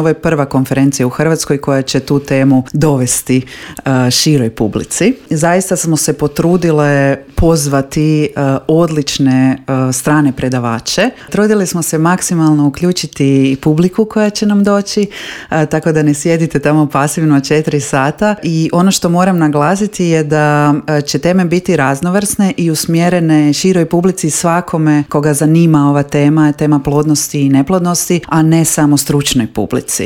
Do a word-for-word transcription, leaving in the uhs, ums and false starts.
Ovo je prva konferencija u Hrvatskoj koja će tu temu dovesti uh, široj publici. Zaista smo se potrudile pozvati uh, odlične uh, strane predavače. Trudili smo se maksimalno uključiti i publiku koja će nam doći, uh, tako da ne sjedite tamo pasivno četiri sata. I ono što moram naglasiti je da uh, će teme biti raznovrsne i usmjerene široj publici, svakome koga zanima ova tema, tema plodnosti i neplodnosti, a ne samo stručnoj publici.